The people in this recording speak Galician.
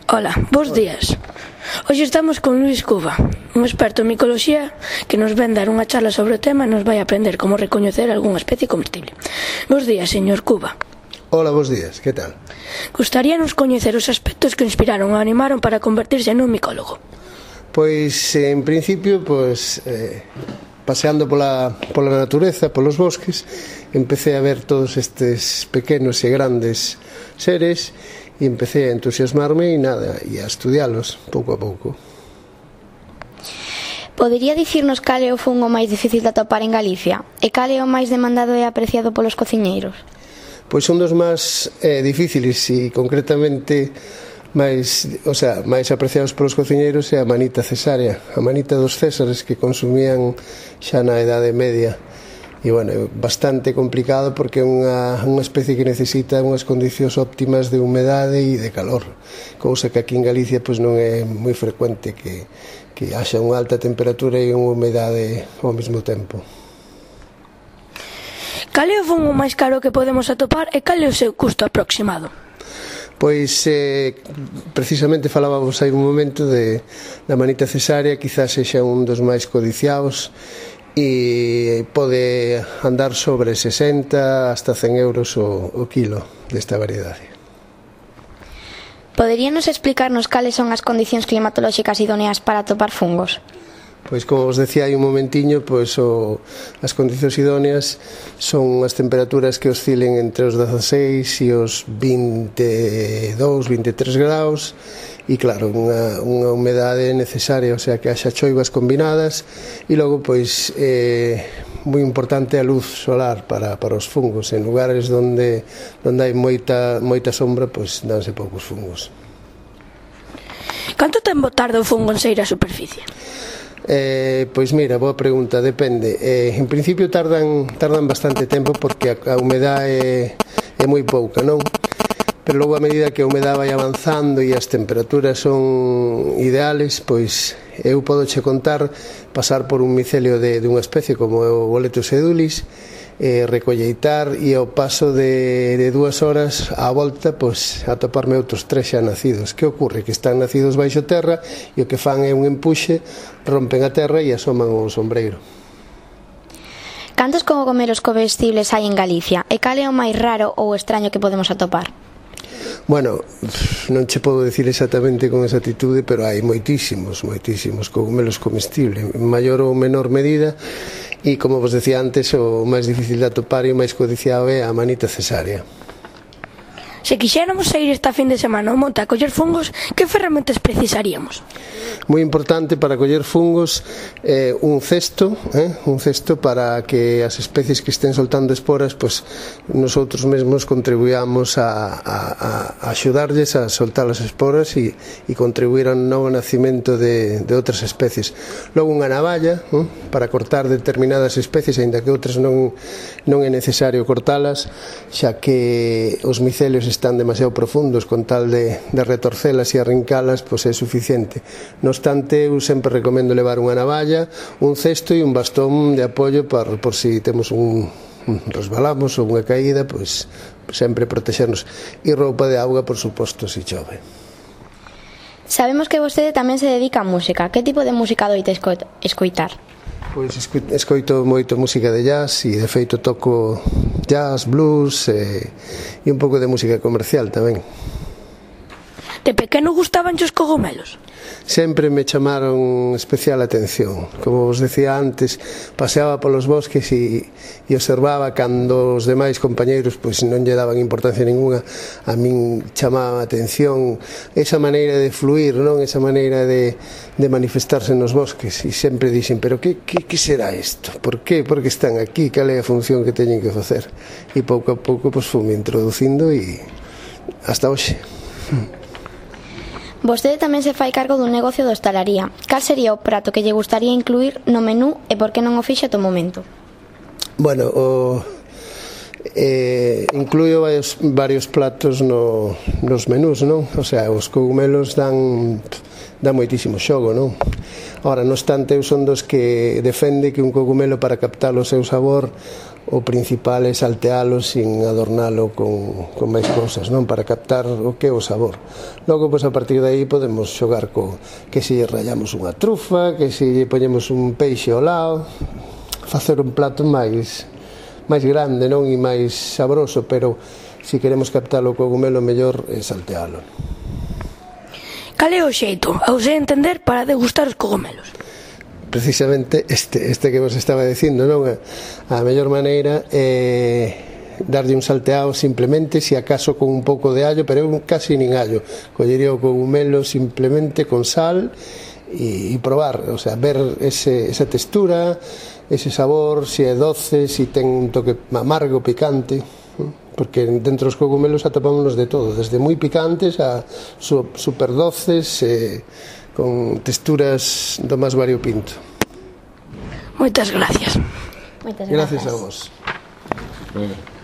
Ola, bos días. Hoxe estamos con Luis Cuba, un experto en micoloxía que nos ven dar unha charla sobre o tema e nos vai aprender como recoñecer algunha especie comestible. Bos días, señor Cuba. Ola, bos días, que tal? Gustaríanos coñecer os aspectos que inspiraron ou animaron para convertirse nun micólogo. Pois, en principio, paseando pola natureza, polos bosques, empecé a ver todos estes pequenos e grandes seres e empecé a entusiasmarme e a estudialos pouco a pouco. Podería dicirnos cal é o fungo máis difícil de atopar en Galicia? E cal é o máis demandado e apreciado polos cociñeiros? Pois un dos máis difíciles e concretamente máis apreciados polos cociñeiros é a manita cesárea, a manita dos césares que consumían xa na Idade Media. E, é bastante complicado porque é unha especie que necesita unhas condicións óptimas de humedade e de calor, cousa que aquí en Galicia non é moi frecuente que haxa unha alta temperatura e unha humedade ao mesmo tempo. Cal é o fungo máis caro que podemos atopar e cal é o seu custo aproximado? Pois, precisamente falábamos hai un momento da manita cesárea, quizás sexa un dos máis codiciados e pode andar sobre 60 hasta 100 euros o kilo desta variedade. Poderíanos explicarnos cales son as condicións climatolóxicas idóneas para atopar fungos? Pois, como vos decía hai un momentiño, as condicións idóneas son as temperaturas que oscilen entre os 16 e os 22, 23 graus e, claro, unha humedade necesaria, o sea, que haxa choivas combinadas e logo, moi importante a luz solar para os fungos. En lugares onde hai moita sombra, danse poucos fungos. Canto tempo tarda o fungo en saír á superficie? Pois mira, boa pregunta, depende. En principio tardan bastante tempo porque a humedade é moi pouca, non? Pero logo, a medida que a humedade vai avanzando e as temperaturas son ideales, eu podo che contar pasar por un micelio de unha especie como o Boletus edulis, recolleitar e ao paso de 2 horas á volta atoparme outros 3 xa nacidos. Que ocorre? Que están nacidos baixo terra e o que fan é un empuxe, rompen a terra e asoman o sombreiro. Cantos cogomelos comestibles hai en Galicia? E cal é o máis raro ou extraño que podemos atopar? Non che podo dicir exactamente con exactitude, pero hai moitísimos cogumelos comestibles, en maior ou menor medida, e, como vos decía antes, o máis difícil de atopar e o máis codiciado é a manita cesárea. Se quixéramos sair esta fin de semana ao monte a coller fungos, que ferramentas precisaríamos? Moi importante para coller fungos un cesto para que as especies que estén soltando esporas nosotros mesmos contribuíamos a axudarlles a soltar as esporas e contribuir ao novo nacimento de outras especies. Logo unha navalla para cortar determinadas especies, aínda que outras non é necesario cortalas, xa que os micelios están demasiado profundos, con tal de retorcelas e arrincalas é suficiente. No obstante, eu sempre recomendo levar unha navalla, un cesto e un bastón de apoio por si temos resbalamos ou unha caída, sempre protexernos, e roupa de auga, por suposto, se chove. Sabemos que vostede tamén se dedica a música. Que tipo de música doite escoitar? Escoito moito música de jazz e, de feito, toco jazz, blues e un pouco de música comercial tamén. De pequeno gustaban os cogomelos? Sempre me chamaron especial atención. Como vos decía antes, paseaba polos bosques e observaba cando os demais compañeiros non lle daban importancia ninguna. A min chamaba a atención esa maneira de fluir, esa maneira de manifestarse nos bosques, e sempre dixen, pero que será isto? Por que están aquí? Cal é a función que teñen que facer? E pouco a pouco fume introducindo e hasta hoxe. Vostede tamén se fai cargo dun negocio de hostalaría. Cal sería o prato que lle gustaría incluir no menú e por que non o fixe ata o momento? Incluyo varios platos nos menús, non? O sea, os cogumelos dan dá moitísimo xogo, non? Ora, non obstante, eu son dos que defende que un cogumelo, para captar o seu sabor, o principal é saltealo sin adornalo con máis cousas, non? Para captar o que é o sabor. Logo, pois, a partir de aí podemos xogar que se rallamos unha trufa, que se poñemos un peixe ao lado, facer un plato máis grande, non? E máis sabroso, pero se queremos captar o cogumelo, mellor é saltealo. Cal é o xeito, ao se entender, para degustar os cogumelos? Precisamente este que vos estaba dicindo, non? A mellor maneira é darlle un salteado simplemente, se acaso con un pouco de allo, pero eu casi nin allo. Collería o cogumelo simplemente con sal e probar, o sea, ver esa textura, ese sabor, se é doce, se ten un toque amargo, picante, porque dentro dos cogumelos atopámonos de todo, desde moi picantes a super doces, con texturas do máis variopinto. Moitas gracias. Moitas Gracias a vos.